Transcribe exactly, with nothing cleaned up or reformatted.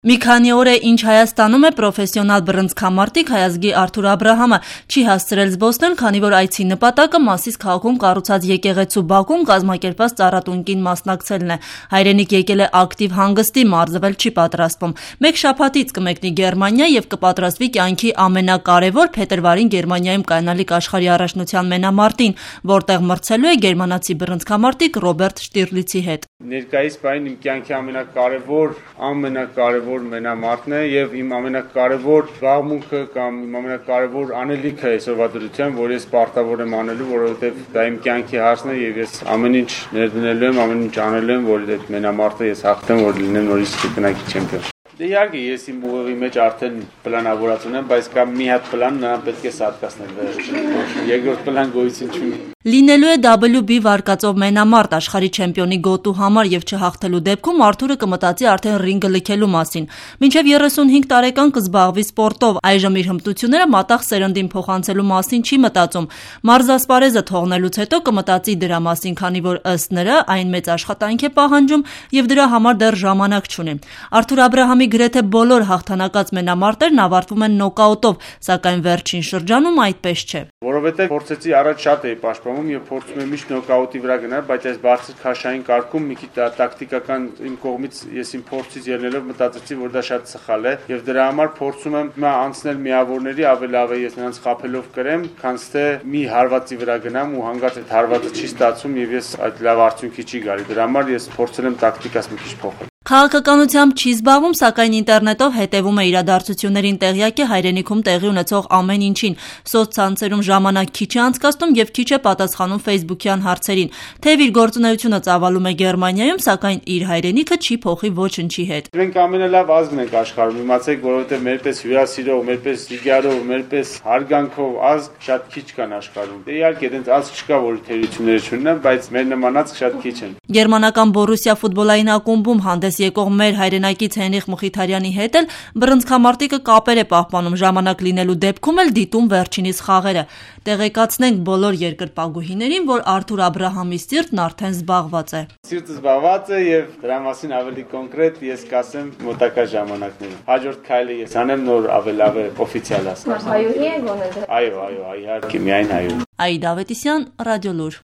Մի քանի օր է ինչ Հայաստանում է պրոֆեսիոնալ բռնցքամարտիկ հայազգի Արթուր Աբրահամը չի հասցրել զբոսնել, քանի որ այցի նպատակը Մասիս քաղաքում կառուցած եկեղեցու բակում կազմակերպված ծառատունկին մասնակցելն է։ Հայրենիք եկել է ակտիվ հանգստի, մարզվել չի պատրաստվում։ Մեկ շաբաթից կմեկնի Գերմանիա եւ կպատրաստվի կյանքի ամենակարևոր փետրվարին Գերմանիայում կայանալիք աշխարհի առաջնության մենամարտին, որտեղ մրցելու է գերմանացի բռնցքամարտիկ Ռոբերտ Շտիրլիցի հետ։ Ներկայիս պահին իմ կյանքի ամենակարևոր, ամենակարևոր մենամարտն է եւ իմ ամենակարևոր զբաղմունքը կամ իմ ամենակարևոր անելիքը այսօրվա դրությամբ, որ ես պարտավոր եմ անելու, որովհետեւ դա իմ կյանքի հարցն է եւ ես ամեն ինչ ներդնելու եմ, ամեն ինչ անելու եմ, որ այդ մենամարտը ես հաղթեմ, որ լինեմ նորից կրկնակի չեմպիոն։ Դե իհարկե ես իմ ուղեղի մեջ արդեն պլանավորած ունեմ, բայց կա մի հատ պլան, նրան պետք է սատկացնել։ Երկրորդ պլան գոյություն չունի։ Լինելու է դաբլյու բի վարկածով մենամարտ աշխարհի չեմպիոնի գոտու համար եւ չհաղթելու դեպքում Արթուրը կմտածի արդեն ռինգը լքելու մասին։ Մինչեւ երեսունհինգ տարեկան կզբաղվի սպորտով, այժմ իր հմտությունները մատաղ սերնդին փոխանցելու մասին չի մտածում։ Մարզասպարեզը թողնելուց հետո կմտածի դրա մասին, քանի որ ըստ նրա այն մեծ աշխատանք է պահանջում եւ դրա համար դեռ ժամանակ չունի։ Արթուր Աբրահամի գրեթե բոլոր հաղթանակած մենամարտերն ավարտվում են նոկաուտով, սակայն վերջին շրջանում այդպես չէ։ Որովհետեւ փորձեցի առաջ շատ էի պաշտպանում եւ փորձում եմ միշտ նոկաուտի վրա գնալ, բայց այս բարձր քաշային կարգում մի քիչ տակտիկական իմ կողմից ես իմ փորձից ելնելով մտածեցի, որ դա շատ սխալ է եւ դրա համար փորձում եմ հիմա անցնել միավորների, ավելի լավ է ես նրանց խափելով կրեմ, քան թե մի հարվածի վրա գնամ ու հանգած այդ հարվածը չի ստացվում եւ ես այդ լավ արդյունքի չի գալի։ Դրա համար ես փորձել եմ տակտիկաս մի քիչ փոխել։ Քաղաքականությամբ չի զբաղվում, սակայն ինտերնետով հետևում է իրադարձություններին, տեղյակ է հայրենիքում տեղի ունեցող ամեն ինչին, սոցցանցերում ժամանակ քիչ է անցկացնում եւ քիչ է պատասխանում ֆեյսբուքյան հարցերին։ Թեև իր գործունեությունը ծավալում է Գերմանիայում, սակայն իր հայրենիքը չի փոխի ոչնչի հետ։ Մենք ամենալավ ազգն ենք աշխարհում, իմացեք, որովհետեւ մերպես հյուրասիրող, մերպես զիգարով, մերպես հարգանքով ազգ շատ քիչ կան աշխարհում։ Դե իհարկե դենց ազգ չկա, որ թերությունները չունենա, բայց մեր նման ազգ շատ քիչ են։ Գերմանական Բորուսիա ֆուտբոլային ակումբում հանդես եկող մեր հայրենակից Հենրիխ Մխիթարյանի հետ էլ բռնցքամարտիկը կապեր է պահպանում, ժամանակ լինելու դեպքում էլ դիտում վերջինիս խաղերը։ Տեղեկացնենք բոլոր երկրպագուհիներին, որ Արթուր Աբրահամի սիրտն արդեն զբաղված է։ Սիրտը զբաղված է եւ դրա մասին ավելի կոնկրետ ես կասեմ մոտակա ժամանակներում։ Հաջորդ քայլը ես անեմ նոր ավելի լավ օֆիցիալ ասեմ։ Հայուհի է գոնե։ Այո, այո, իհարկե միայն հայուհի։ Աիդա Ավետիսյան, Ռադիոլուր։